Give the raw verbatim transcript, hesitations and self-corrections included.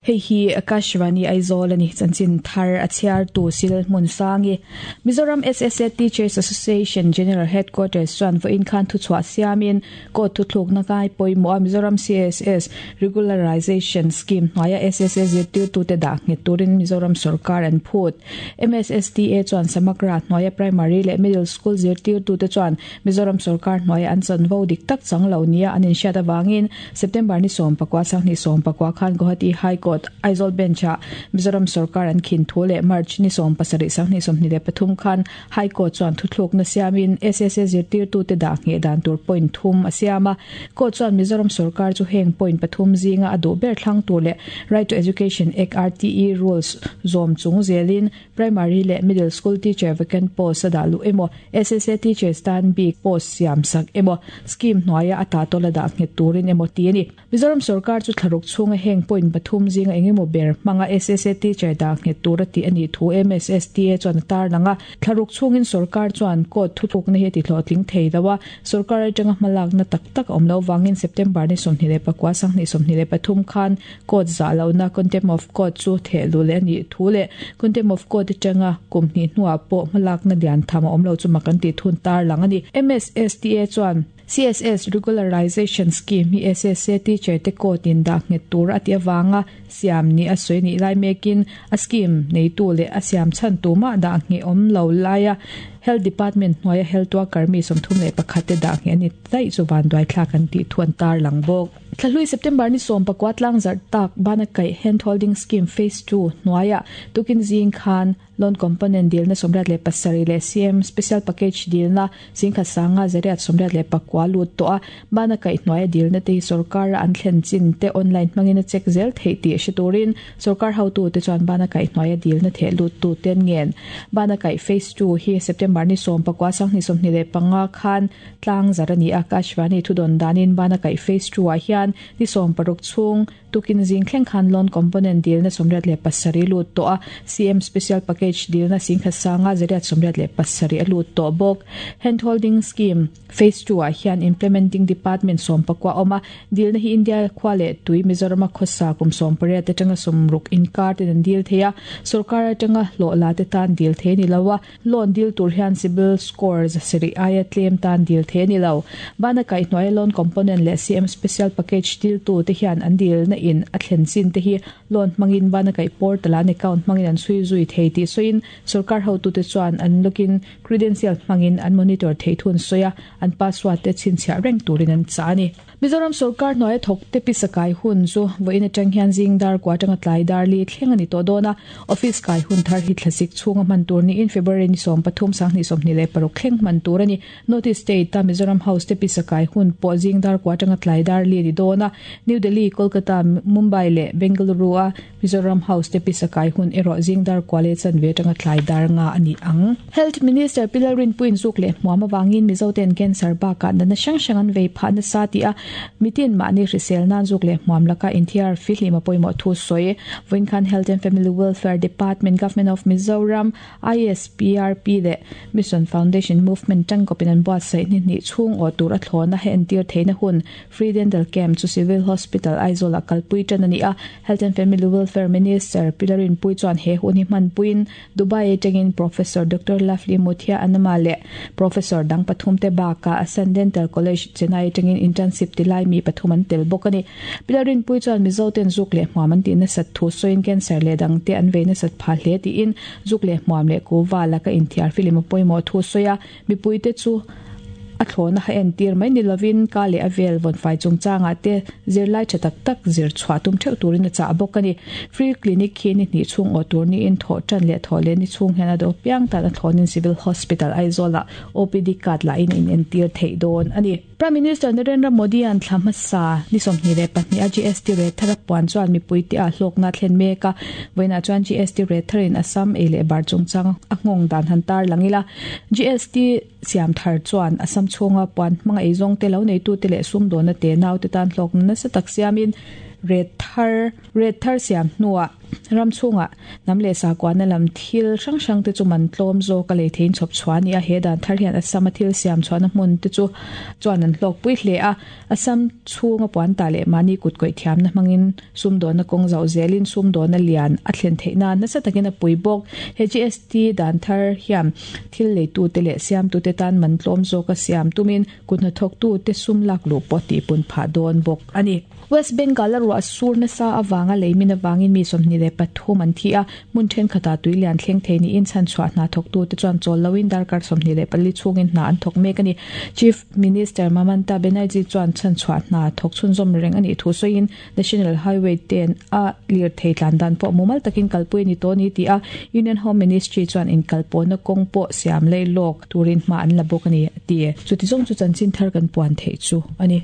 Hei hi Akashvani Aizawl ani chanchin thar a chhiar tu sil hmun sangi Mizoram S S A Teachers Association General Headquarters chuan vawiin khan thu chhuah siamin court thu thluk na ngai pawimawh a Mizoram C S S Regularization Scheme hnuaia S S A zirtirtute dah nghet turin Mizoram sorkar an phut. M S S T A chuan Samagra hnuaia primary leh middle school zirtirtute chuan Mizoram sorkar hnuaia an chanvo dik tak chang lo nia an inhriat awangin September ni sawm pakua sanghnih sawm pakua khan Guwahati High Court Aizawl Bench ah Mizoram sorkar an khin thu leh March ni sawm pasarih sanghnih sawmhnih leh pathum khan High Court chuan thuthluk na siamin S S A zirtirtute dah ngheh dan tur point thum a siam a. Court chuan Mizoram sorkar chu heng point pathum zinga a duh ber thlang tur leh Right to Education Act R T E rules zawm chung zelin primary leh middle school teacher vacant post a dah luh emaw, S S A teachers tan bik post siam sak emaw, scheme hnuaia a ta tawla dah nghet turin emaw ti ani. Mizoram sorkar chu thlaruk chhunga heng point pathum zinga engemaw ber hmanga S S A teacher dah nghet tur a ti ani thu M S S T A chuan tar langa. Thlaruk chhungin sorkar chuan court thuthluk na hi ti hlawhtling thei dawa sorkar atanga hmalak na tak tak awm lo wangin September ni sawmhnih leh pakua sanghnih sawmhnih leh pathum khan court zah lo na, contempt of court chu theh lu leh ani thu leh contempt of court atanga kum hnih hnuah pawh hmalak na lian tham a awm lo chu mak an ti thun tar lang ani. M S S T A chuan C S S Regularization Scheme hi S S A teacher te court in dah nghet tur ati awanga siam ni a soi ni lai mekin a scheme nei tu le a siam chan tu ma dah nge om lo laia Health Department hnuaia health worker mi sawmthum leh pakhat te dah nge ani dai chu van duai thlak an ti thuan tar lang bawk. Thlahlui September ni sawm pakua tlang zarh tak bana kai Hand Holding Scheme Phase two hnuaia tukin zing khan loan component deal na sawmriat leh pasarih leh C M Special Package deal na singkhat sanga zariat sawmriat leh pakua lut to a. Bana kai hnuaia deal na te hi sorkar an thlen chin te online hmangin a check zel thei tih hre turin sorkar hotu te chuan bana kai hnuaia deal na theh lut tu ten ngen. Bana kai Phase two hi September ni sawm pakua sanghnih sawmhnih leh panga khan tlang zar ani. Akashvani thudon danin bana kai Phase two ah hian ni sawm paruk chhung tukin zing thleng khan loan component deal na sawmriat leh pasarih lut to a, C M Special Package deal na singkhat sanga zariat sawmriat leh pasarih a lut to bawk. Hand Holding Scheme Phase two ah hian implementing department sawm pakua awma deal na hi India khwa leh tui Mizoram khosa kum sawm pariat atanga sawmruk inkar ten an deal theia. Sarkar atanga hlawh la te tan deal the ni lowa. Loan deal tur hian CIBIL score zasarih aia tlem tan deal the ni lo. Bana kai hnuai loan component leh C M Special Package deal tu te hian an deal na in a thlen chin te hi loan hmangin bana kai portal an account hmangin an sui zui thei ti soin sarkar hotu te chuan an login credential hmangin an monitor thei thun soya an password te chhinchhiah reng turin an cha ani. Mizoram sarkar hnuai thawk te pisakai hun chu vawiin atang hian zing dar kwa atanga tlai dar li thleng ani tawh dawn a. Office kai hun thar hi thlasik chhunga hman tur ni in February ni sawm pathum sanghnih sawmhnih leh paruk thleng hman tur ani. North State ta Mizoram House te pisakai hun pawh zing dar kwa atanga tlai dar li ani dawn a. New Delhi, Kolkata, Mumbai leh Bengaluru a Mizoram House te pisakai hun erawh zing dar kwa le chanve atanga tlai dar nga ani ang. Health Minister Pi Lalrinpuiin zuk leh hmuam awangin Mizoten cancer bakah natna hrang hrang an vei phah nasa ti a mitin mahni hrisel nan zuk leh hmuam laka inthiar fihlim a pawimawh thu sawi. Vawiin khan Health and Family Welfare Department, Government of Mizoram, I S P R P leh Mission Foundation Movement tangkawpin an buatsaih ni hnih chhung aw tur a thlawna he entir theihna hun Free Dental Camp chu Civil Hospital Aizawl ah kalpui tan ani a. Health and Family Welfare Minister Pi Lalrinpuii chuan he hun hi hmanpuiin Dubai atangin Professor Doctor Lovely Muthiah Anama leh Professor dang pathum te bakah Asan Dental College Chennai atangin internship tilai mi pathum an tel bawk ani. Pi Lalrinpuii chuan Mizo ten zuk leh hmuam an tih nasat thu sawiin cancer leh dang te an vei nasat phah hle tiin zuk leh hmuam leh kuva laka inthiar film a pawimawh thu sawi a. Mipui te chu a thlawna ha entir mai ni lovin ka leh a vel vawn fai chungchangah te zirlai tha tak tak zir chhuah tum theuh turin a chah bawk ani. Free clinic khi ni hnih chhung aw tur niin thawh tan leh thawh leh ni chhung hian a do piang tan a thlawnin Civil Hospital Aizawl ah O P D card la in in entir theih dawn ani. Prime Minister Narendra Modi an thla hmasa ni sawmhnih leh pahnih a G S T rate thar a puan chuan mipui te a hlawkna thlen mek a. Vawiinah chuan G S T rate tharin Assam ei leh bar chungchang a nghawng dan han tar langila. G S T siam thar chuan Assam chhunga puan hmanga ei zawng te lo neitu te leh sum dawna te nau te tan hlawkna nasa tak siamin rate thar rate thar siam hnuah Ram chhunga hnam leh sakuahna lam thil hrang hrang te chu man tlawm zawk a lei theiin chhawp chhuah a ni a, he dan thar hian Assam a thil siam chhuahna hmun te chu chuan an hlawk pui hle a, Assam chhunga puan tah leh mahni kut kawih thiamna hmangin sumdawnna kawng zauh zelin sumdawnna lian a thlen theih nan nasa takin a pui bawk. He G S T dan thar hian thil leitute leh siamtute tan man tlawm zawk a siam tumin kut hnathawktute sum lak luh pawh tihpun phah dawn bawk a ni. West Bengal a ruah sur nasa avanga leimin avangin mi sawmhnih leh pathum an thi a, hmun thenkhatah tui lian thleng thei niin chhanchhuah hna thawktute chuan chawl loin darkar sawmhnih leh pali chhungin hna an thawk mek a ni. Chief Minister Mamata Banerjee chuan chhanchhuah hna thawk chhunzawm reng a nih thu sawiin National Highway ten a lirthei tlan dan pawh mumal takin kalpui a ni tawh a ni tih a, Union Home Ministry chuan inkalpawhna kawng pawh siam lei lawk turin hma an la bawk a ni a ti. Chuti zawng chu chanchin thar kan puan theih chu a ni.